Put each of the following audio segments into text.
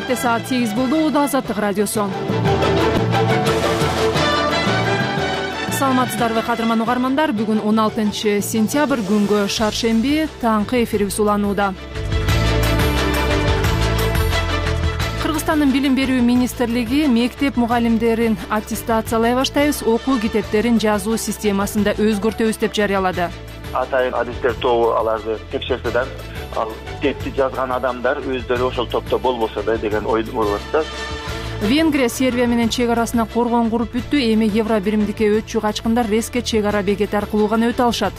Кенжебекте саат 8 болду. Азаттык радиосу. Саламатсыздарбы кадырман угармандар. Бүгүн 16 сентябрь күнгө шаршемби таңкы эфирибиз уланууда. Кыргызстандын билим берүү министрлиги мектеп мугалимдерин аттестациялай баштайбыз, окуу китептерин жазуу системасында өзгөртөбүз деп жарыялады. Атайын адистер тобу аларды текшерсе ал китепти жазган адамдар өздөрү ошол топто болбосо да деген ой болуп атат. Венгрия Сербия менен чек арасына коргон куруп бүттү. Эми евро биримдикке өтчү качкындар резке чек ара бекети аркылуу гана өтө алышат.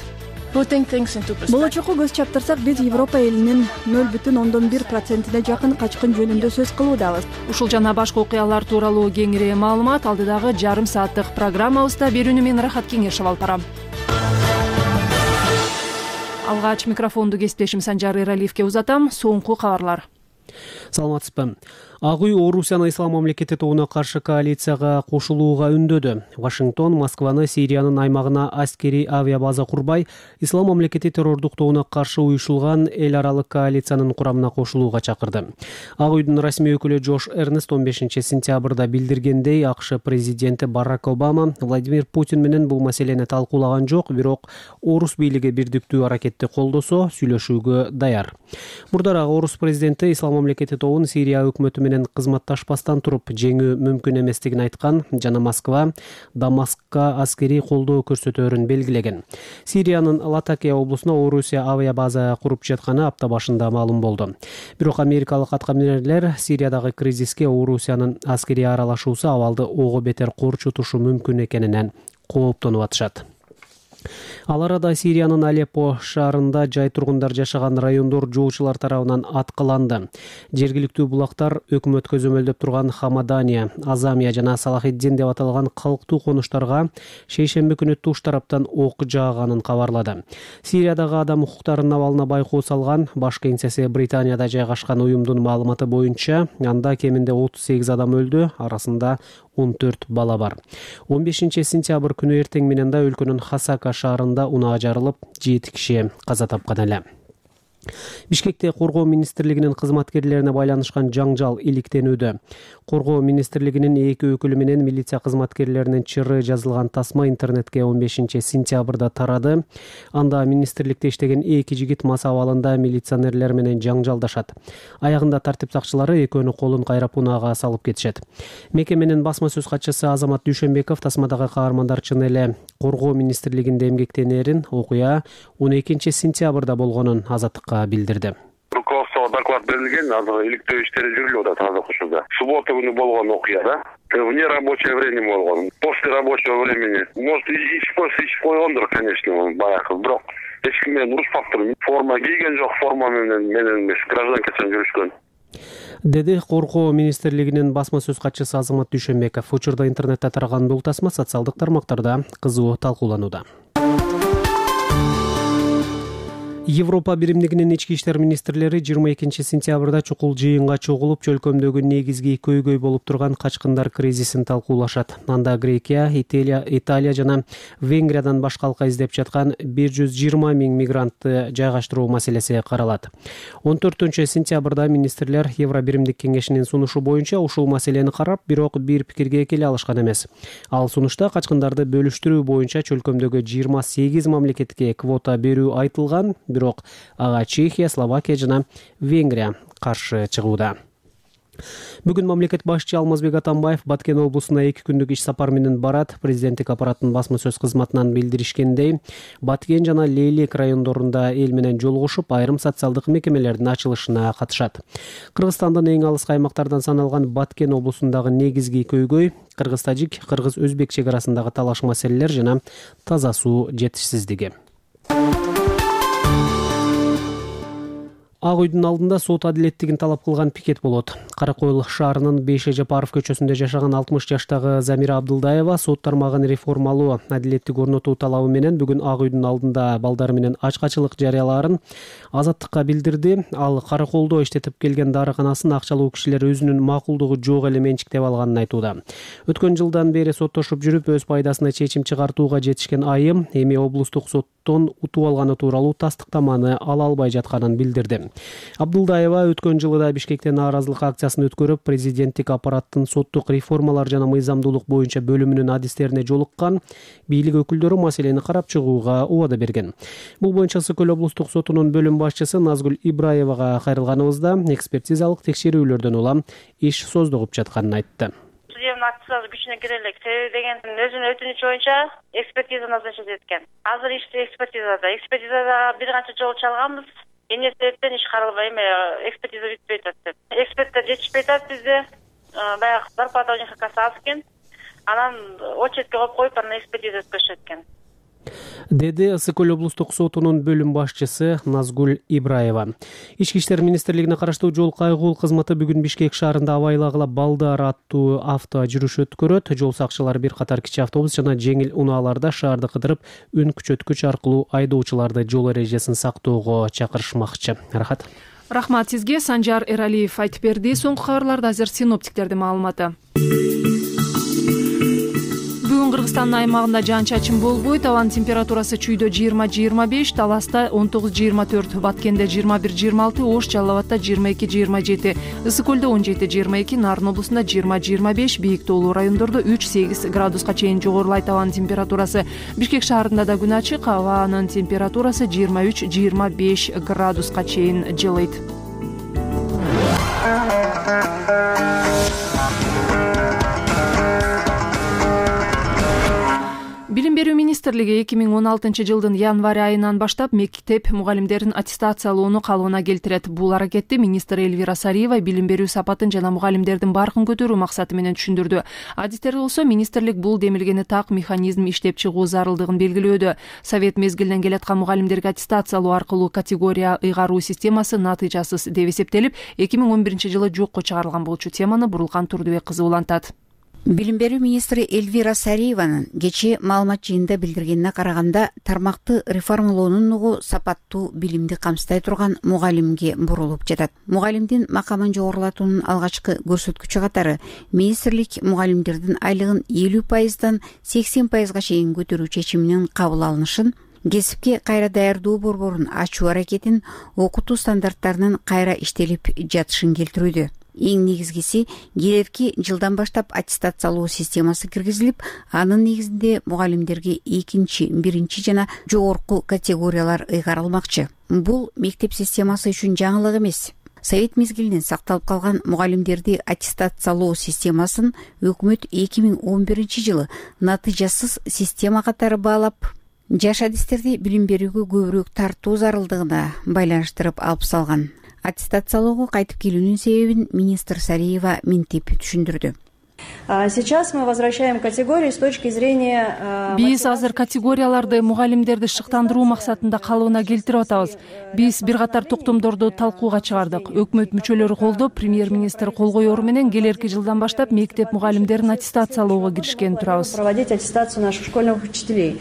Болочокко көз чаптырсак, биз Европа элинин 0,1%-не жакын качкын жөнүндө сөз кылуудабыз. Ушул жана башка окуялар тууралуу кеңири маалымат алдыдагы жарым сааттык программабызда берүүнү мен Рахат Кеңешев алып барам. Алгач микрофонду кесиптешим Санжар Эралиевке узатам. Соңку кабарлар. Саламатсызбы. Ак үй Орусияны ислам мамлекети тобуна каршы коалицияга кошулууга үндөдү. Вашингтон Москваны Сириянын аймагына аскерий авиабаза курбай, ислам мамлекети террордук тобуна каршы уюшулган эл аралык коалициянын курамына кошулууга чакырды. Ак үйдүн расмий өкүлү Джош Эрнест 15 сентябрда билдиргендей, АКШ президенти Барак Обама Владимир Путин менен бул маселени талкуулаган жок, бирок орус бийлиги бирдиктүү аракетти колдосо сүйлөшүүгө даяр. Мурдараак орус президенти ислам мамлекети тобун Сирия өкмөтү менен кызматташпастан туруп жеңүү мүмкүн эместигин айткан жана Москва Дамаскка аскерий колдоо көрсөтөөрүн белгилеген. Сириянын Латакия облусуна Орусия авиабаза куруп жатканы апта башында маалым болду. Бирок америкалык аткаминерлер Сириядагы кризиске Орусиянын аскерий аралашуусу абалды ого бетер корчутушу мүмкүн экенинен кооптонуп атышат. Ал арада Сириянын Алеппо шаарында жай тургундар жашаган райондор жоочулар тарабынан аткыланды. Жергиликтүү булактар өкмөт көзөмөлдөп турган Хамадания, Азамия жана Салахиддин деп аталган калктуу конуштарга шейшемби күнү туш тараптан ок жааганын кабарлады. Сириядагы адам укуктарынын абалына байкоо салган баш кеңсеси Британияда жайгашкан уюмдун маалыматы боюнча, анда кеминде 38 адам өлдү, арасында 14 бала бар. 15 сентябрь күнү эртең менен да өлкөнүн Хасака шаарында унаа жарылып, 7 киши каза тапкан эле. Бишкекте Коргоо министрлигинин кызматкерлерине байланышкан жаңжал иликтенүүдө. Коргоо министрлигинин 2 өкүлү менен милиция кызматкерлеринин чыры жазылган тасма интернетке 15 сентябрда тарады. Анда министрликте иштеген 2 жигит мас абалында милиционерлер менен жаңжалдашат. Аягында тартип сакчылары экөөнү колун кайрап унаага салып кетишет. Мекеменин басма сөз катчысы Азамат Дүйшөнбеков тасмадагы каармандар чын эле Коргоо министрлигинде эмгектенерин, окуя 12 сентябрда болгонун Азаттыкка билдирди. Руководствого доклад берилген, азыр иликтөө иштери жүрүлүп атат азыр ушунда. Суббота күнү болгон окуя да. Вне рабочее время болгон. После рабочего времени. Может, ичип койгондур, конечно, баягы. Бирок эч ким менен урушпаптыр. Форма кийген жок, форма менен эмес, гражданкасын жүрүшкөн. Деди Коргоо министрлигинин басма сөз катчысы Азамат Дүйшөнбеков. Учурда интернетте тараган бул тасма социалдык тармактарда кызуу талкууланууда. Европа биримдигинин ички иштер министрлери 22 сентябрда чукул жыйынга чогулуп, чөлкөмдөгү негизги көйгөй болуп турган качкындар кризисин талкуулашат. Анда Грекия, Италия жана Венгриядан башка алка издеп жаткан 120 миң мигрантты жайгаштыруу маселеси каралат. 14 сентябрда министрлер Евро биримдик кеңешинин сунушу боюнча ушул маселени карап, бирок бир пикирге келе алышкан эмес. Ал сунушта качкындарды бөлүштүрүү боюнча чөлкөмдөгү 28 мамлекетке квота берүү айтылган, бирок ага Чехия, Словакия жана Венгрия каршы чыгууда. Бүгүн мамлекет башчы Алмазбек Атамбаев Баткен облусуна 2 күндүк иш сапар менен барат. Президенттик аппараттын басма сөз кызматынан билдиришкендей, Баткен жана Лейлек райондорунда эл менен жолугушуп, айрым социалдык мекемелердин ачылышына катышат. Кыргызстандын эң алыс аймактардан саналган Баткен облусундагы негизги көйгөй кыргыз-тажик, кыргыз-өзбек чек арасындагы талаш маселелер жана таза суу жетишсиздиги. Ак үйдүн алдында сот адилеттигин талап кылган пикет болот. Каракойл шаарынын Бейше Жапаров көчөсүндө жашаган 60 жаштагы Замира Абдылдаева сот тармагын реформалоо, адилеттик орнотуу талабы менен бүгүн Ак үйдүн алдында балдары менен ачкачылык жарыялаарын Азаттыкка билдирди. Ал Караколдо иштетип келген дарыканасын акчалуу кишилер өзүнүн макулдугу жок эле менчиктеп алганын айтууда. Өткөн жылдан бери соттошуп жүрүп, өз пайдасына чечим чыгартууга жетишкен айым эми облустук соттон утуп алганы тууралуу тастыктаманы ала албай жатканын билдирди. Абдулдаева өткөн жылы да Бишкекте нааразылык акциясын өткөрүп, президенттик аппараттын соттук реформалар жана мыйзамдуулук боюнча бөлүмүнүн адистерине жолуккан. Бийлик өкүлдөрү маселени карап чыгууга убада берген. Бул боюнча Ысык-Көл облустук сотунун бөлүм башчысы Назгүл Ибраевага кайрылганыбызда экспертизалык текшерүүлөрдөн улам иш создугуп жатканын айтты. Судебный акция күчүнө кире элек деген өзүнүн өтүнүчү боюнча экспертиза назначить эткен. Азыр ишти экспертизада бир канча жолу чалганбыз. Эмне себептен иш каралбай экспертиза бүтпөй атат деп. Эксперттер жетишпей атат бизде. Баягы зарплата у них аз экен. Анан очередке коюп анан экспертиза өткөрүшөт экен. Деди Ысык-Көл облустук сотунун бөлүм башчысы Назгүл Ибраева. Ички иштер министрлигине караштуу жол кайгул кызматы бүгүн Бишкек шаарында Абайлагыла Балдар аттуу авто жүрүш өткөрөт. Жол сакчылары бир катар кичи автобус жана жеңил унааларда шаарды кыдырып, үн күчөткүч аркылуу айдоочуларды жол эрежесин сактоого чакырышмакчы. Рахмат сизге. Санжар Эралиев айтып берди. Соңку кабарларда азыр синоптиктердин маалыматы. Бүгүн Кыргызстандын аймагында жаан-чачын болбойт. Абанын температурасы Чүйдө 20-25, Таласта 19-24, Баткенде 21-26, Ош Жалал Абадта 22-27, Ысык-Көлдө 17-22, Нарын облусунда 20-25, бийик тоолуу райондордо 3-8 градуска чейин жогорулайт абанын температурасы. Бишкек шаарында да күн ачык, абанын температурасы 23-25 градуска чейин жылыйт. Билим берүү министрлиги 2016 жылдын январь айынан баштап мектеп мугалимдерин аттестациялоону калыбына келтирет. Бул аракетти министр Эльвира Сариева билим берүү сапатын жана мугалимдердин баркын көтөрүү максаты менен түшүндүрдү. Адистерди болсо министрлик бул демилгени так механизм иштеп чыгуу зарылдыгын белгилөөдө. Совет мезгилинен келаткан мугалимдерге аттестациялоо аркылуу категория ыйгаруу системасы натыйжасыз деп эсептелип, 2011 жылы жокко чыгарылган болчу. Теманы Бурулкан Турдубек кызы улантат. Билим берүү министри Эльвира Сариеванын кечээ маалымат жыйынында билдиргенине караганда, тармакты реформалоонун нугу сапаттуу билимди камсытай турган мугалимге бурулуп жатат. Мугалимдин макамын жогорулатуунун алгачкы көрсөткүчү катары министрлик мугалимдердин айлыгын 50%дан 80%га чейин көтөрүү чечиминин кабыл алынышын, кесипке кайра даярдоо борборун ачуу аракетин, окутуу стандарттарынын кайра иштелип жатышын келтирүүдө. Эң негизгиси, келерки жылдан баштап аттестациялоо системасы киргизилип, анын негизинде мугалимдерге экинчи, биринчи жана жогорку категориялар ыйгарылмакчы. Бул мектеп системасы үчүн жаңылык эмес. Совет мезгилинен сакталып калган мугалимдерди аттестациялоо системасын өкмөт 2011 жылы натыйжасыз система катары баалап, жаш адистерди билим берүүгө көбүрөөк тартуу зарылдыгына байланыштырып алып салган. Аттестациялоого кайтып келүүнүн себебин министр Сариева мынтип түшүндүрдү. Сейчас мы возвращаем категории с точки зрения... Биз азыр категорияларды мугалимдерди шыктандыруу максатында калыбына келтирип атабыз. Биз бир катар токтомдорду талкууга чыгардык. Өкмөт мүчөлөрү колдоп, премьер-министр кол коеру менен келерки жылдан баштап мектеп мугалимдерин аттестациялоого киришкени турабыз. Проводить аттестацию наших школьных учителей.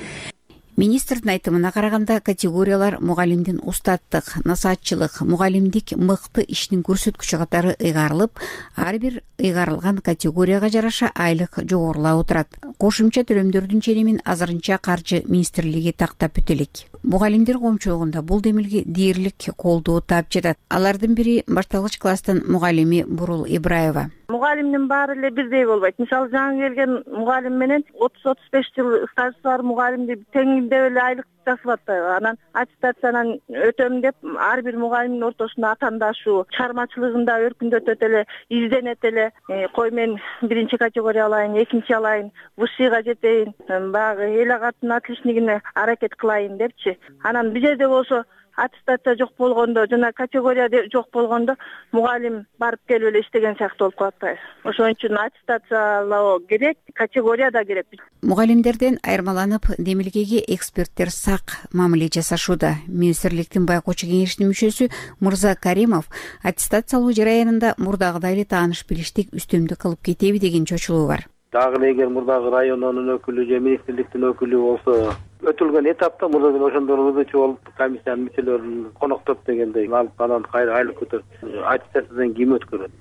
Министрдин айтымына караганда, категориялар мугалимдин устаттык, насаатчылык, мугалимдик мыкты ишинин көрсөткүчү катары ыйгарылып, ар бир ыйгарылган категорияга жараша айлык жогорулап отурат. Кошумча төлөмдөрдүн ченемин азырынча каржы министрлиги тактап өтө элек. Мугалимдер коомчулугунда бул демилге дээрлик колдоо таап жатат. Алардын бири башталгыч класстын мугалими Бурул Ибраева. Мугалимдин баары эле бирдей болбойт. Мисалы, жаңы келген мугалим менен 30-35 жыл стажы бар мугалимди тең деп эле айлык жасап атпайбы. Анан аттестациядан өтөм деп ар бир мугалимдин ортосунда атаандашуу, чыгармачылыгында өркүндөтөт эле, изденет эле. Кой мен биринчи категория алайын, экинчи алайын, высшийга жетейин, баягы эл агартын отличнигине аракет кылайын депчи. Анан бир жерде болсо аттестация жок болгондо жана категория жок болгондо мугалим барып келип эле иштеген сыяктуу болуп калат атпайбы. Ошон үчүн аттестациялоо керек, категория да керек. Мугалимдерден айырмаланып, демилгеге эксперттер сак мамиле жасашууда. Министрликтин байкоочу кеңешинин мүчөсү Мырза Каримов аттестациялоо жараянында мурдагыдай эле тааныш билиштик үстөмдүк кылып кетеби деген чочулуу бар. Дагы эгер мурдагы райондун өкүлү же министрликтин өкүлү болсо, өтүлгөн этапта мурда ошондорубузчу болуп комиссиянын мүчөлөрүн коноктоп дегендей алып анан кайра айлык көтөрүп, аттестациядан ким өткөрөт?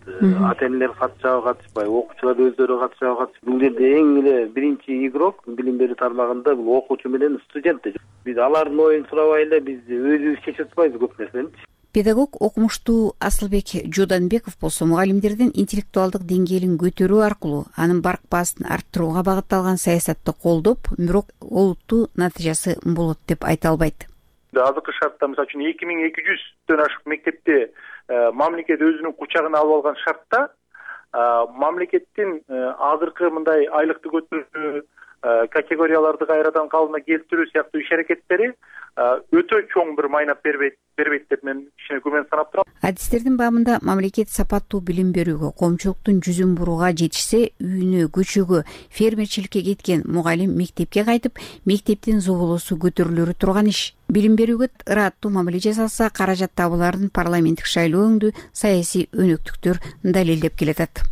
Ата-энелер катышабы, катышпайбы, окуучулар өздөрү катышабы, катышпайбы? Бул жерде эң эле биринчи игрок билим берүү тармагында бул окуучу менен студент. Биз алардын оюн сурабай эле биз өзүбүз чечип атпайбыз көп нерсени. Педагог окумуштуу Асылбек Жууданбеков болсо мугалимдердин интеллектуалдык деңгээлин көтөрүү аркылуу анын барк баасын арттырууга багытталган саясатты колдоп, бирок олуттуу натыйжасы болот деп айта албайт. Азыркы шартта мисалы үчүн 2200дөн ашык мектепти мамлекет өзүнүн кучагына алып алган шартта мамлекеттин азыркы мындай айлыкты көтөрүү, категорияларды кайрадан калыбына келтирүү сыяктуу иш аракеттери өтө чоң бир майнап бербейт деп мен кичине күмөн санап турам. Адистердин баамында мамлекет сапаттуу билим берүүгө, коомчулуктун жүзүн бурууга жетишсе, үйүнө, көчөгө, фермерчиликке кеткен мугалим мектепке кайтып, мектептин зоболосу көтөрүлөрү турган иш. Билим берүүгө ыраттуу мамиле жасалса, каражат табыларын парламенттик шайлоо өңдүү саясий өнөктүктөр далилдеп келатат.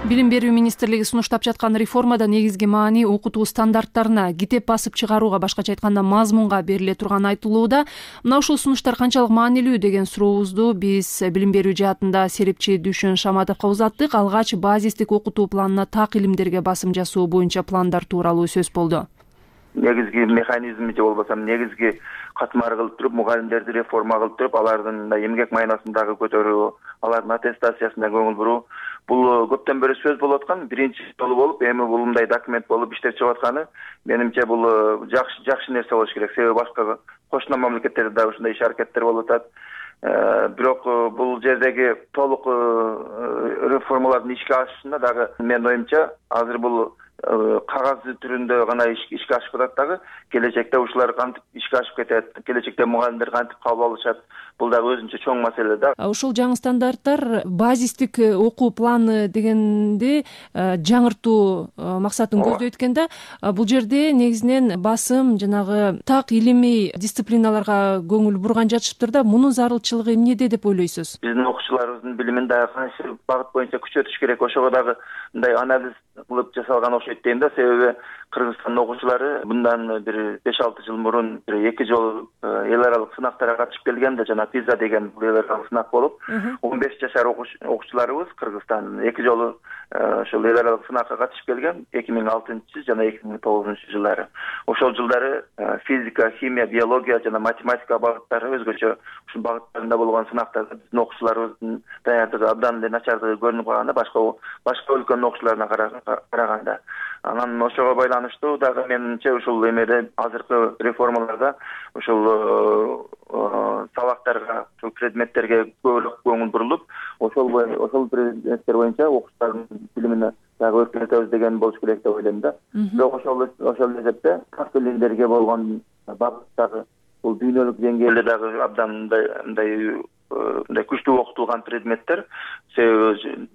Билим берүү министрлиги сунуштап жаткан реформада негизги маани окутуу стандарттарына, китеп басып чыгарууга, башкача айтканда мазмунга бериле турганы айтылууда. Мына ушул сунуштар канчалык маанилүү деген сурообузду биз билим берүү жаатында серепчи Дүшүн Шаматовго узаттык. Алгач базистик окутуу планына так илимдерге басым жасоо боюнча пландар тууралуу сөз болду. Негизги механизми же болбосо негизги катмары кылып туруп, мугалимдерди реформа кылып туруп, алардын эмгек майнасын дагы көтөрүү, алардын аттестациясына көңүл буруу. Бул көптөн бери сөз болуп аткан, биринчи жолу болуп, эми бул мындай документ болуп иштеп чыгып атканы, менимче бул жакшы нерсе болуш керек. Себеби башка кошуна мамлекеттерде дагы ушундай иш аракеттер болуп атат. Бирок бул жердеги толук реформалардын ишке ашышында дагы менин оюмча азыр бул кагаз түрүндө гана ишке ашып атат дагы, келечекте ушулар кантип ишке ашып кетет, келечекте мугалимдер кантип кабыл алышат, бул дагы өзүнчө чоң маселе да. Ушул жаңы стандарттар базистик окуу планы дегенди жаңыртуу максатын көздөйт экен да. Бул жерде негизинен басым жанагы так илимий дисциплиналарга көңүл бурган жатышыптыр да. Мунун зарылчылыгы эмнеде деп ойлойсуз? Биздин окуучуларыбыздын билимин дагы кайсы багыт боюнча күчөтүш керек, ошого дагы мындай анализ кылып жасалган окшойт дейм да. Себеби Кыргызстандын окуучулары мындан бир 5-6 жыл мурун 2 жолу эл аралык сынактарга катышып келген да, жана PISA деген бул эл аралык сынак болуп, 15 жашар окуучуларыбыз Кыргызстандын 2 жолу ошол эл аралык сынакка катышып келген 2006 жана 2009 жылдары. Ошол жылдары физика, химия, биология жана математика багыттары өзгөчө ушул багыттарында болгон сынактарда биздин окуучуларыбыздын даярдыгы абдан эле начардыгы көрүнүп калганда башка өлкөнүн окуучуларына караганда. Анан ошого байланыштуу дагы менимче ушул эмеде азыркы реформаларда ушул сабактарга, ушул предметтерге көбүрөөк көңүл бурулуп, ошол предметтер боюнча окуучулардын билимине дагы өркүнөтөбүз деген болуш керек деп ойлойм да. Бирок ошол эсепте так илимдерге болгон багыттагы бул дүйнөлүк деңгээлде дагы абдан мындай күчтүү окутулган предметтер, себеби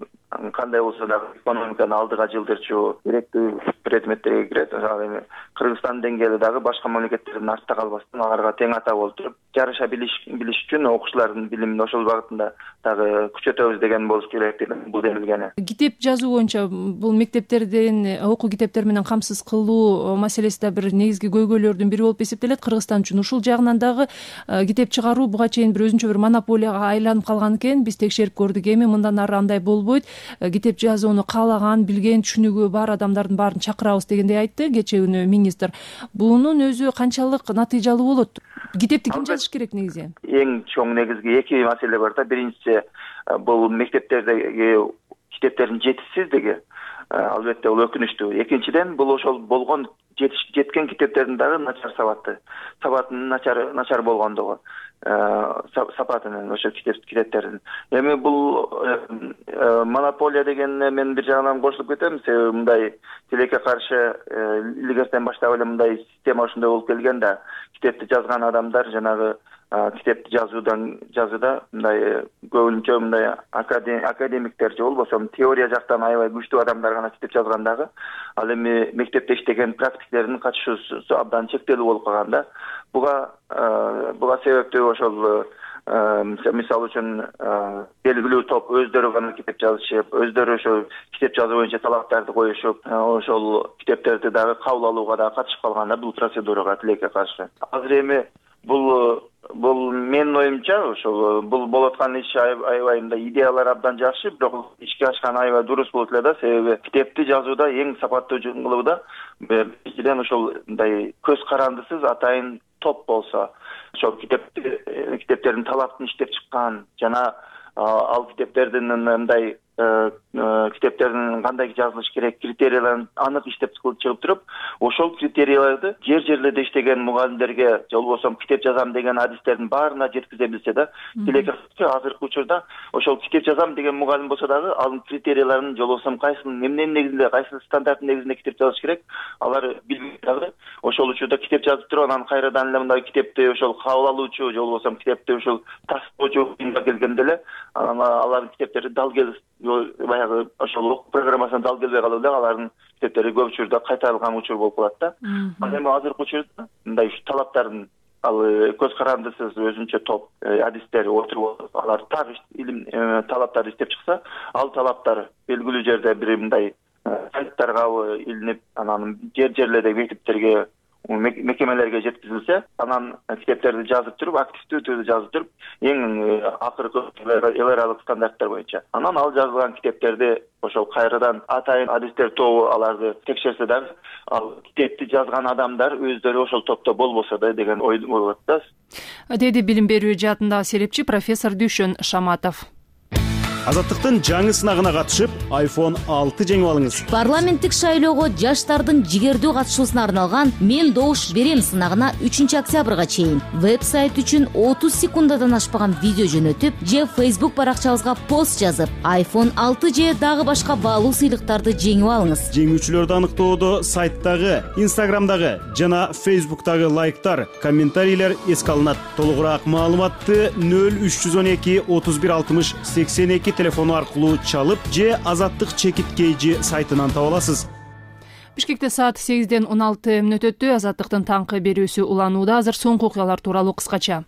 кандай болсо дагы экономиканы алдыга жылдырчу керектүү предметтерге кирет. Эми Кыргызстан деңгээлде дагы башка мамлекеттердин артта калбастан аларга тең ата болуп туруп, жарыша билиш үчүн окуучулардын билимин ошол багытында дагы күчөтөбүз деген болуш керек деп бул демилгени. Китеп жазуу боюнча бул мектептерден окуу китептер менен камсыз кылуу маселеси да бир негизги көйгөйлөрдүн бири болуп эсептелет Кыргызстан үчүн. Ушул жагынан дагы китеп чыгаруу буга чейин бир өзүнчө бир монополияга айланып калган экен. Биз текшерип көрдүк, эми мындан ары андай болбойт. Китеп жазууну каалаган, билген, түшүнүгү бар адамдардын баарын чакырабыз дегендей айтты кечээ күнү министр. Бунун өзү канчалык натыйжалуу болот? Китепти ким жазыш керек негизи? Эң чоң негизги 2 маселе бар да. Биринчиси бул мектептердеги китептердин жетишсиздиги. Албетте бул өкүнүчтүү. Экинчиден бул ошол болгон жеткен китептердин дагы начар сабатынын начар болгондугу. Сапатынын ошо китептердин. Эми бул монополия дегенне мен бир жагынан кошулуп кетем, себеби мындай тилекке каршы илгертен баштап эле мындай система ушундай болуп келген да, китепти жазган адамдар жанагы китепти жазууда мындай көбүнчө мындай академиктер же болбосо теория жактан аябай күчтүү адамдар гана китеп жазгандагы, ал эми мектепте иштеген практиктердин катышуусу абдан чектелүү болуп калган да. Буга себептүү ошол мисалы үчүн белгилүү топ өздөрү гана китеп жазышып, өздөрү ошо китеп жазуу боюнча талаптарды коюшуп, ошол китептерди дагы кабыл алууга дагы катышып калган да бул процедурага тилекке каршы. Азыр эми Бул менин оюмча ошол бул болуп аткан иш аябай мындай идеялар абдан жакшы, бирок ишке ашкан аябай дурус болот эле да. Себеби китепти жазууда эң сапаттуу кылууда биринчиден ошол мындай көз карандысыз атайын топ болсо, ошол китептердин талаптын иштеп чыккан жана ал китептердин мындай китептердин кандай жазылыш керек критерияларын анык иштеп чыгып туруп, ошол критерияларды жерлерде иштеген мугалимдерге же болбосо китеп жазам деген адистердин баарына жеткизе билсе да, азыркы учурда ошол китеп жазам деген мугалим болсо дагы анын критерияларын же болбосо кайсынын эмненин негизинде, кайсы стандарттын негизинде китеп жазыш керек, алар билбей дагы ошол учурда китеп жазып туруп, анан кайрадан эле мындай китепти ошол кабыл алуучу же болбосо китепти ошол тастоочу келгенде эле алардын китептери дал келип баягы ошол окуу программасына дал келбей калып эле алардын китептери көп учурда кайтарылган учур болуп калат да. Ал эми азыркы учурда мындай талаптардын ал көз карандысыз өзүнчө топ адистер отуруп алар так илим талаптарды иштеп чыкса, ал талаптар белгилүү жерде бир мындай сайттарга илинип, анан жерлердеги мектептерге мекемелерге жеткизилсе, анан китептерди жазып туруп, активдүү түрдө жазып туруп, эң акыркы эл аралык стандарттар боюнча, анан ал жазылган китептерди ошол кайрадан атайын адистер тобу аларды текшерсе дагы, ал китепти жазган адамдар өздөрү ошол топто болбосо да деген ой болот да, деди билим берүү жаатындагы серепчи профессор Дүйшөн Шаматов. Азаттыктын жаңы сынагына катышып, iPhone 6 жеңип алыңыз. Парламенттик шайлоого жаштардын жигердүү катышуусуна арналган «Мен добуш берем» сынагына 3 октябрга чейин веб-сайт үчүн 30 секундадан ашпаган видео жөнөтүп, же Facebook баракчабызга пост жазып, iPhone 6 же дагы башка баалуу сыйлыктарды жеңип алыңыз. Жеңүүчүлөрдү аныктоодо сайттагы, Instagramдагы жана Facebook'тагы лайктар, комментарийлер эске алынат. Толугураак маалыматты 0312 31 60 82 телефону аркылуу чалып же Азаттык чекиткейжи сайтынан таба аласыз. Бишкекте саат 8-ден 16 мүнөт өттү. Азаттыктын таңкы берүүсү уланууда. Азыр соңку окуялар тууралуу кыскача.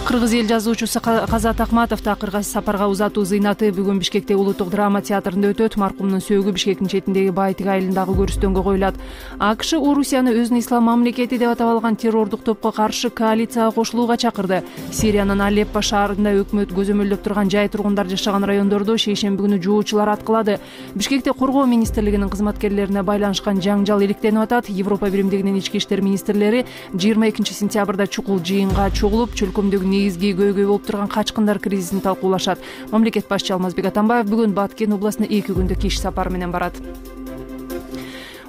Кыргыз эл жазуучусу Казат Акматов такырга сапарга узатуу зыйнаты бүгүн Бишкекте Улуттук драма театрында өтөт. Маркумдун сөөгү Бишкектин четиндеги Байтик айылындагы көрүстөнгө коюлат. АКШ Орусияны өзүнүн ислам мамлекети деп атап алган террордук топко каршы коалицияга кошулууга чакырды. Сириянын Алеппо шаарында өкмөт көзөмөлдөп турган жай тургундар жашаган райондордо шейшемби күнү жуучулар аткылады. Бишкекте Коргоо министрлигинин кызматкерлерине байланышкан жаңжал иликтенип атат. Европа биримдигинин ички иштер министрлери 22 сентябрда чукул жыйынга чогулуп, чөлкөмдөгү негизги көйгөй болуп турган качкындар кризисин талкуулашат. Мамлекет башчы Алмазбек Атамбаев бүгүн Баткен областына 2 күндүк иш сапары менен барат.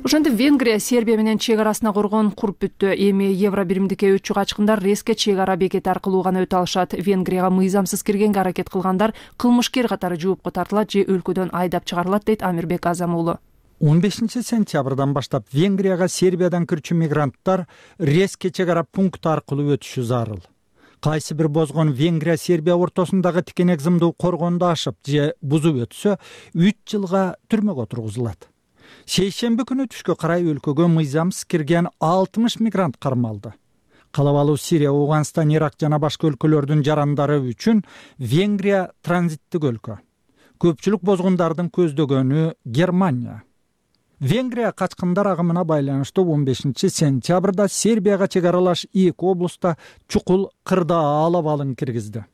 Ошентип Венгрия Сербия менен чек арасына коргон куруп бүттү. Эми евро биримдикке өтчү качкындар Реске чек ара бекети аркылуу гана өтө алышат. Венгрияга мыйзамсыз киргенге аракет кылгандар кылмышкер катары жоопко тартылат же өлкөдөн айдап чыгарылат, дейт Амирбек Азам уулу. 15 сентябрдан баштап Венгрияга Сербиядан кирчү мигранттар Реске чек ара пункту аркылуу өтүшү зарыл. Кайсы бир бозгон Венгрия Сербия ортосундагы тикенек зымды коргонду ашып же бузуп өтсө 3 жылга түрмөгө отургузулат. Шейшемби күнү түшкө карай өлкөгө мыйзамсыз кирген 60 мигрант кармалды. Калабалуу Сирия, Ауганстан, Ирак жана башка өлкөлөрдүн жарандары үчүн Венгрия транзиттик өлкө. Көпчүлүк бозгундардын көздөгөнү Германия. Венгрия качкындар агымына байланыштуу 15 сентябрда Сербияга чек аралаш 2 облуста чукул кырдаал алып алын киргизди.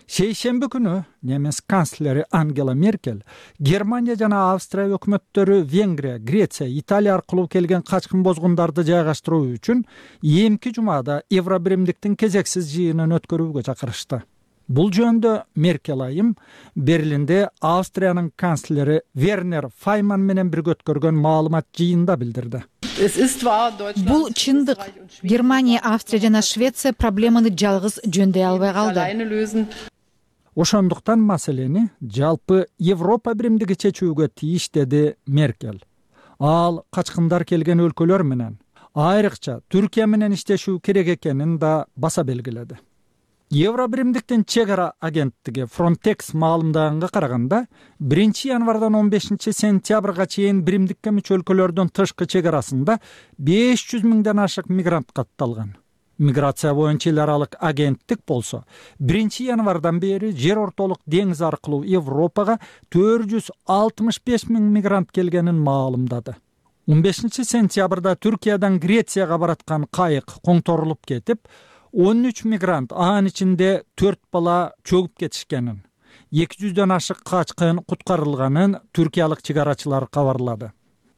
Шейшемби күнү немис канцлери Ангела Меркель Германия жана Австрия өкмөттөрү Венгрия, Греция, Италия аркылуу келген качкын бозгундарды жайгаштыруу үчүн эмки жумада евро биримдиктин кезексиз жыйынын өткөрүүгө чакырышты. Бул жөнүндө Меркель айым Берлинде Австриянын канцлери Вернер Файман менен бирге өткөргөн маалымат жыйында билдирди. Бул чындык. Германия, Австрия жана Швеция проблеманы жалгыз жөндөй албай калды. Ошондуктан маселени жалпы Европа биримдиги чечүүгө тийиш, деди Меркель. Ал качкындар келген өлкөлөр менен, айрыкча Түркия менен иштешүү керек экенин да баса белгиледи. Евро биримдиктин чек ара агенттиги Frontex маалымдаганга караганда 1 январдан 15 сентябрга чейин биримдикке мүчө өлкөлөрдүн тышкы чек арасында 500 миңден ашык мигрант катталган. Миграция боюнча эл аралык агенттик болсо 1-январдан бери жер ортолук деңиз аркылуу Европага 465 000 мигрант келгенин маалымдады. 15-сентябрда Түркиядан Грецияга бараткан кайык коңторулуп кетип, 13 мигрант, анын ичинде 4 бала чөгүп кетишкенин, 200дөн ашык качкын куткарылганын түркиялык чыгарачылар кабарлады.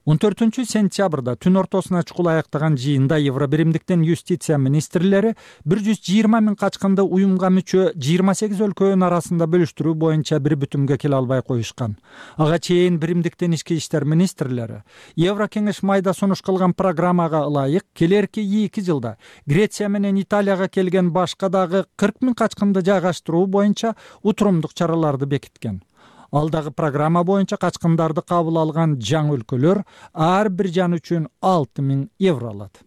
14-сентябрда түн ортосуна чукул аяктаган жыйында Евробиримдиктин юстиция министрлери 120 000 качкынды уюмга мүчө 28 өлкөнүн арасында бөлүштүрүү боюнча бир бүтүмгө келе албай коюшкан. Ага чейин Биримдиктин ички иштер министрлери Еврокеңеш майда сунуш кылган программага ылайык келерки 2 жылда Греция менен Италияга келген башка дагы 40 000 качкынды жайгаштыруу боюнча утурумдук чараларды бекиткен. Ал дагы программа боюнча качкындарды кабыл алган жаңы өлкөлөр ар бир жан үчүн 6 000 евро алат.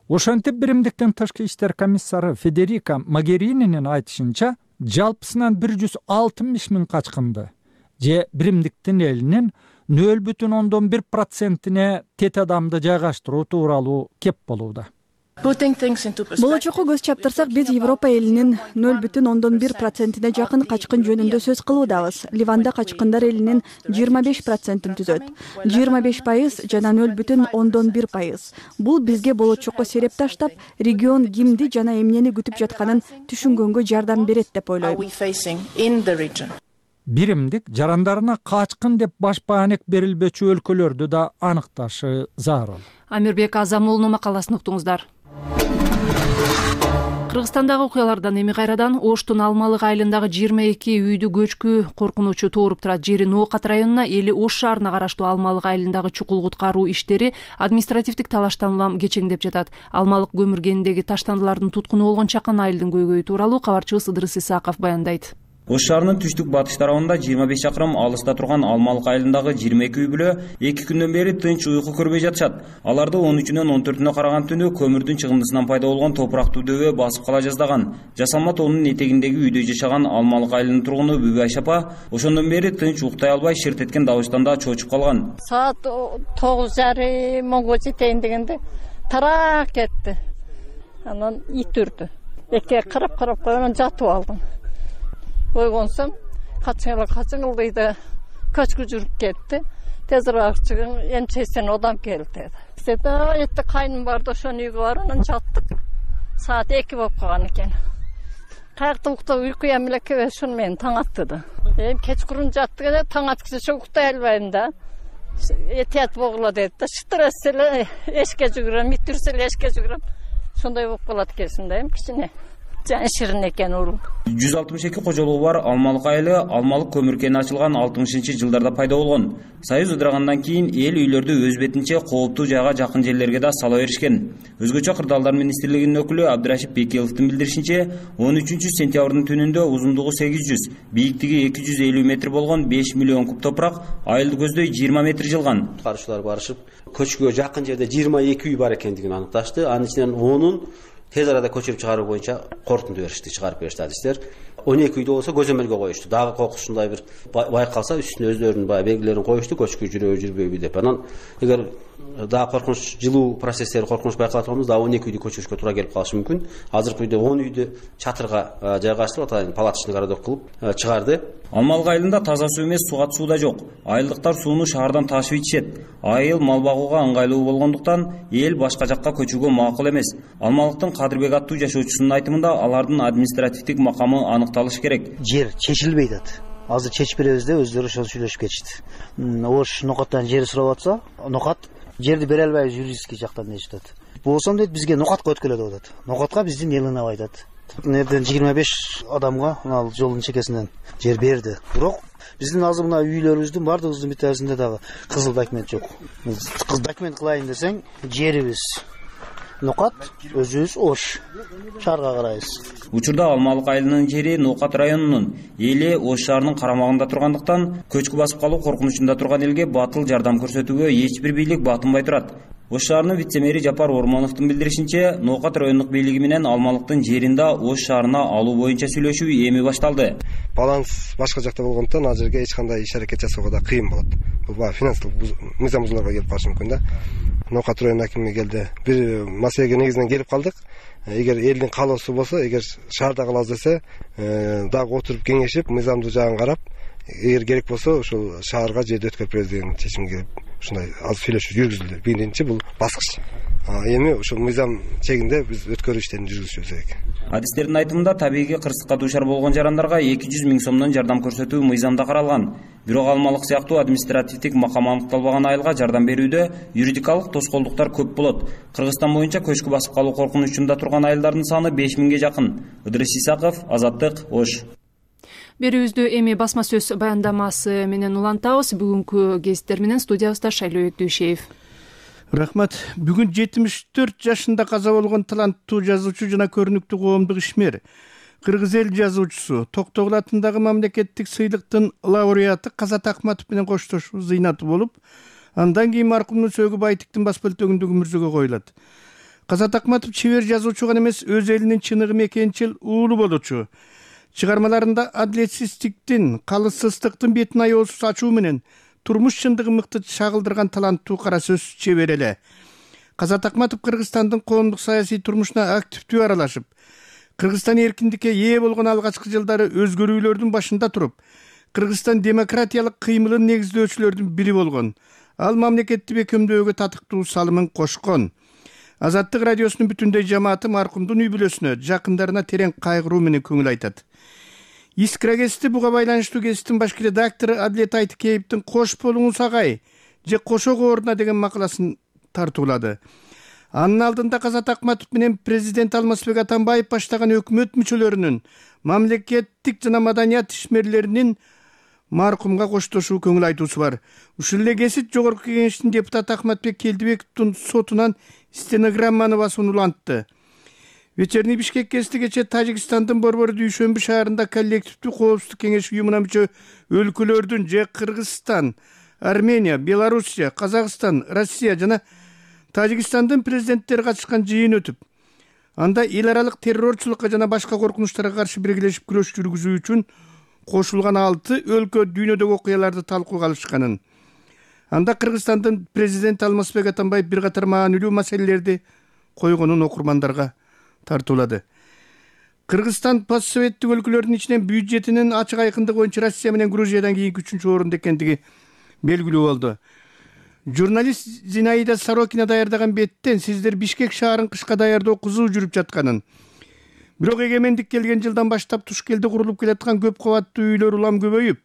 Ошентип Биримдиктин тышкы иштер комиссары Федерика Могерининин айтышынча, жалпысынан 160 000 качкынды же Биримдиктин элинин 0,1%-ине тет адамды жайгаштыруу тууралуу кеп болууда. Болочокко көз чаптырсак, биз Европа элинин 0,1%-ине жакын качкын жөнүндө сөз кылуудабыз. Ливанда качкындар элинин 25%-ын түзөт. 25% жана 0,1%. Бул бизге болочокко сереп таштап, регион кимди жана эмнени күтүп жатканын түшүнгөнгө жардам берет деп ойлойм. Биримдик жарандарына качкын деп баш баанек берилбечү өлкөлөрдү да аныкташы зарыл. Амирбек Азамуулунун макаласын уктуңуздар. Кыргызстандагы окуялардан эми кайрадан Оштун Алмалык айылындагы 22 үйдү көчкү коркунучу тууруп турат. Жери Ноокат районуна, эли Ош шаарына караштуу Алмалык айылындагы чукул куткаруу иштери административдик талаштан улам кечеңдеп жатат. Алмалык көмүр кениндеги таштандылардын туткуну болгон чакан айылдын көйгөйү тууралуу кабарчыбыз Ыдырыс Исаков баяндайт. Ош шаарынын түштүк-батыш тарабында 25 чакырым алыста турган Алмалык айылындагы 22 үй бүлө 2 күндөн бери тынч уйку көрбөй жатышат. Аларды 13-нөн 14-нө караган түнү көмүрдүн чыгындысынан пайда болгон топурактуу дөбө басып кала жаздаган. Жасалма тоонун этегиндеги үйдө жашаган Алмалык айылынын тургуну Бүбү Айшапа ошондон бери тынч уктай албай ширтеткен дабыштан да чочуп калган. Саат 9:30-10 жетейин дегенде тарак кетти. Анан ит үрдү. Эке кырып койгон жатып алдым. Койгонсом, качыңыл дейди, көчкү жүрүп кетти. Тезирээк чыгың, эмчесин одам келди деди. Сета этти кайным барды, ошонун үйгө барып, анан жаттык. Саат 2 болуп калган экен. Каякта уктап уйку эмеле кебе ушуну мени таң аттыды. Кечкурун жаттык эле, таң аткыча уктай албайм да. Этият болгула деди да, шыттырас эле эшикке жүгүрөм, миттирсе эле эшикке жүгүрөм. Ошондой болуп калат экенсиң да, кичине. Ширин экен ул. 162 кожолугу бар Алмалык айылы Алмалык көмүр кени ачылган 60-жылдарда пайда болгон. Союз ыдырагандан кийин эл үйлөрдү өз бетинче кооптуу жайга жакын жерлерге да сала беришкен. Өзгөчө Кырдаалдар министрлигинин өкүлү Абдырашип Бекиловдун билдиришинче, 13-сентябрдын түнүндө узундугу 800, бийиктиги 250 метр болгон 5 миллион куб топурак айылды көздөй 20 метр жылган. Куткаруучулар барышып, көчкүгө жакын жерде 22 үй бар экендигин аныкташты. Анын ичинен 10-ун тез арада көчүрүп чыгаруу боюнча корутунду беришти, чыгарып беришти адистер. 12 үйдө болсо көзөмөлгө коюшту. Дагы кокусундай бир байкалса үстүнө өздөрүнүн белгилерин коюшту, көчкү жүрөбү жүрбөйбү деп. Анан эгер дагы коркунуч жылуу процесстери коркунуч байкалат болсо, дагы 12 үйдү көчүрүшкө туура келип калышы мүмкүн. Азыркы үйдө 10 үйдү чатырга жайгаштырып, атайын палаточный городок кылып чыгарды. Алмалык айылында таза суу эмес, сугат суу да жок. Айылдыктар сууну шаардан ташып ичишет. Айыл мал багууга ыңгайлуу болгондуктан эл башка жакка көчүүгө макул эмес. Алмалыктын Кадырбек аттуу жашоочусунун айтымында алардын административдик макамы аныкталышы керек. Жер чечилбей атат. Азыр чечип беребиз деп өздөрү ошол сүйлөшүп кетишти. Ош Нокаттан жер сурап атса, Нокат жерди бере албайбыз юридический жактан дешип атат. Болсом дейт, бизге Нокатка өткөлө деп атат. Нокатка биздин элин айтат. Нерден 25 адамга мына жолдун чекесинен жер берди. Бирок биздин азыр мына үйлөрүбүздүн бардыгыбыздын бүтөсүндө дагы кызыл документ жок. Кызыл документ кылайын десең, жерибиз Нокат, өзүбүз Ош шаарга карайбыз. Учурда Алмалык айылынын жери Ноокат районунун, эли Ош шаарынын карамагында тургандыктан көчкү басып калуу коркунучунда турган элге батыл жардам көрсөтүүгө эч бир бийлик батынбай турат. Ош шаарынын вице-мэри Жапар Ормоновдун билдиришинче, Ноокат райондук бийлиги менен Алмалыктын жерин да Ош шаарына алуу боюнча сүйлөшүү эми башталды. Баланс башка жакта болгондуктан ал жерге эч кандай иш аракет жасоого да кыйын болот. бул финансылык мыйзам бузууларга келип калышы мүмкүн да. Нокат районунун акими келди. Бир маселеге негизинен келип калдык. Эгер элдин каалоосу болсо, эгер шаарда калабыз десе, дагы отуруп кеңешип, мыйзамдуу жагын карап, эгер керек болсо ошол шаарга жерди өткөрүп беребиз деген чечимге келип, ушундай азыр сүйлөшүү жүргүзүлдү. Биринчи бул баскыч. Эми ошол мыйзам чегинде биз өткөрүү иштерин жүргүзүшүбүз керек. Адистердин айтымында табигый кырсыкка дуушар болгон жарандарга 200 000 сомдон жардам көрсөтүү мыйзамда каралган. Бирок алмалык сыяктуу административдик макам аныкталбаган айылга жардам берүүдө юридикалык тоскоолдуктар көп болот. Кыргызстан боюнча көчкү басып калуу коркунучунда турган айылдардын саны 5000ге жакын. Ыдырыс Исаков, Азаттык, Ош. Берүүбүздү эми басма сөз баяндамасы менен улантабыз. Бүгүнкү гезиттер менен студиябызда Шайлоо Өктүшев. Рахмат. Бүгүн 74 жашында каза болгон таланттуу жазуучу жана көрүнүктүү коомдук ишмер, кыргыз эл жазуучусу, Токтогул атындагы мамлекеттик сыйлыктын лауреаты Казат Акматов менен коштошуу зыйнаты болуп, андан кийин маркумдун сөөгү Байтиктин бас бөлтөгүндө күмүрзөгө коюлат. Казат Акматов чебер жазуучу гана эмес, өз элинин чыныгы мекенчил уулу болчу. Чыгармаларында адилетсиздиктин, калыссыздыктын бетин аеосуз ачуу менен турмуш чындыгын мыкты чагылдырган таланттуу кара сөз чебер эле. Казат Акматов Кыргызстандын коомдук саясий турмушуна активдүү аралашып, Кыргызстан эркиндикке ээ болгон алгачкы жылдары өзгөрүүлөрдүн башында туруп, Кыргызстан демократиялык кыймылын негиздөөчүлөрдүн бири болгон. Ал мамлекетти бекемдөөгө татыктуу салымын кошкон. Азаттык радиосунун бүтүндөй жамааты маркумдун үй бүлөсүнө, жакындарына терең кайгыруу менен көңүл айтат. Искра гезити буга байланыштуу гезиттин башкы редактору Адилет Айтыкеевдин «Кош болуңуз агай» же «Кошого ордуна» деген макаласын тартуулады. Анын алдында Казат Акматов менен президент Алмазбек Атамбаев баштаган өкмөт мүчөлөрүнүн, мамлекеттик жана маданият ишмерлеринин маркумга коштошуу көңүл айтуусу бар. Ушул эле гезит Жогорку Кеңештин депутаты Ахматбек Келдибековдун сотунан стенограмманы басууну улантты. Вечерний Бишкек гезити кечээ Тажикстандын Борбор Дүйшөмбү шаарында коллективдүү коопсуздук кеңеши уюмуна мүчө өлкөлөрдүн же Кыргызстан, Армения, Белоруссия, Казакстан, Россия жана Тажикстандын президенттери катышкан жыйын өтүп, анда эл аралык террорчулукка жана башка коркунучтарга каршы биргелешип күрөш жүргүзүү үчүн кошулган 6 өлкө дүйнөдөгү окуяларды талкууга алышканын. Анда Кыргызстандын президенти Алмазбек Атамбаев бир катар маанилүү маселелерди койгонун окурмандарга тартуулады. Кыргызстан постсоветтик өлкөлөрдүн ичинен бюджетинин ачык айкындыгы боюнча Россия менен Грузиядан кийинки 3-чү орунда экендиги белгилүү болду. Журналист Зинаида Сорокина даярдаган беттен сиздер Бишкек шаарын кышка даярдоо кызуу жүрүп жатканын, бирок эгемендик келген жылдан баштап Тушкелде курулуп келаткан көп кабаттуу үйлөр улам көбөйүп,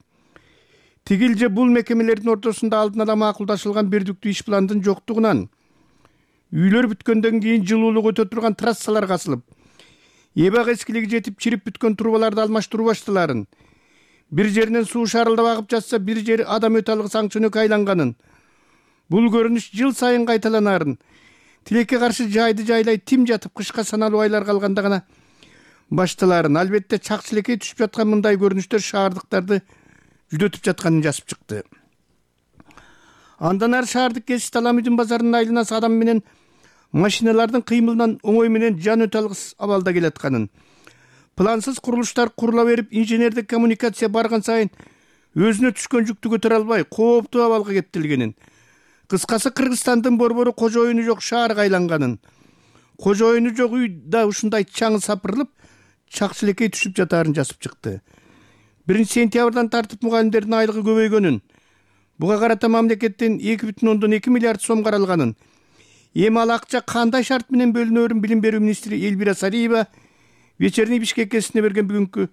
тигил же бул мекемелердин ортосунда алдын ала макулдашылган бирдиктүү иш пландын жоктугунан, үйлөр бүткөндөн кийин жылуулук өтө турган трассалар касылып, эбак эскилиги жетип чирип бүткөн трубаларды алмаштыруу башталарын, бир жеринен суу шарылдап агып жатса, бир жери адам өтө алгыс аңчөнөккө айланганын, бул көрүнүш жыл сайын кайталанарын, тилекке каршы жайды жайлай тим жатып кышка саналуу айлар калганда гана башталарын, албетте чакчылекей түшүп жаткан мындай көрүнүштөр шаардыктарды жүдөтүп жатканын жазып чыкты. Андан ары шаардык Кесип Таламүдүн базарынын айланасы адам менен машиналардын кыймылынан оңой менен жан өтө алгыс абалда келатканын, плансыз курулуштар курула берип, инженердик коммуникация барган сайын өзүнө түшкөн жүктү көтөрө албай, кооптуу абалга кептелгенин, кыскасы Кыргызстандын борбору кожо оюну жок шаарга айланганын, кожо оюну жок үй да ушундай чаңы сапырылып, чакчылекей түшүп жатаарын жазып чыкты. 1 сентябрдан тартып мугалимдердин айлыгы көбөйгөнүн, буга карата мамлекеттен 2,2 миллиард сом каралганын, эми ал акча кандай шарт менен бөлүнөөрүн билим берүү министри Элвира Сариева Вечерний Бишкек гезитине берген бүгүнкү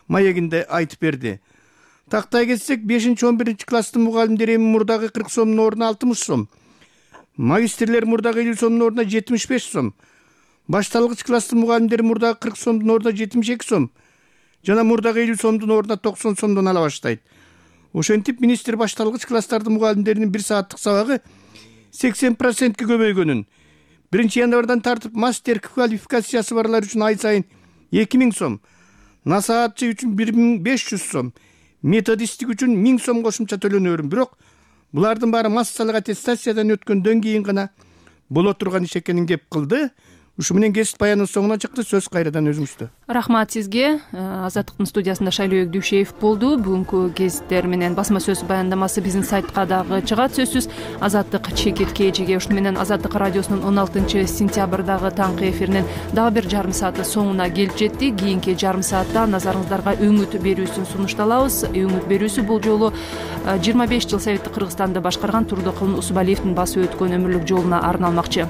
маегинде айтып берди. Тактай кетсек, 5-11 класстын мугалимдери эми мурдагы 40 сомдун ордуна 60 сом, магистрлер мурдагы 50 сомдун ордуна 75 сом, башталгыч класстын мугалимдери мурдагы 40 сомдун ордуна 72 сом, жана мурдагы 50 сомдун ордуна 90 сомдон ала баштайт. Ошентип министр башталгыч класстардын мугалимдеринин 1 сааттык сабагы 80%ке көбөйгөнүн, 1 январдан тартып мастер квалификациясы барлар үчүн ай сайын 2000 сом, насаатчы үчүн 1500 сом, методисттик үчүн 1000 сом кошумча төлөнөөрүн, бирок булардын баары массалык аттестациядан өткөндөн кийин гана боло турган иш экенин кеп кылды. Ушу менен кесип баянын соңуна чыкты. Сөз кайрадан өзүңүздө. Рахмат сизге. Азаттыктын студиясында Шайлообек Дүйшеев болду. Бүгүнкү гезиттер менен басма сөз баяндамасы биздин сайтка дагы чыгат сөзсүз. Азаттык чекитке эжеге. Ушуну менен Азаттык радиосунун 16-сентябрдагы таңкы эфиринин дагы бир жарым сааты соңуна келип жетти. Кийинки жарым саатта назарыңыздарга өңүт берүүсүн сунушталабыз. Өңүт берүүсү бул жолу 25 жыл Советтик Кыргызстанды башкарган Турдукулун Усубалиевдин басып өткөн өмүрлүк жолуна арналмакчы.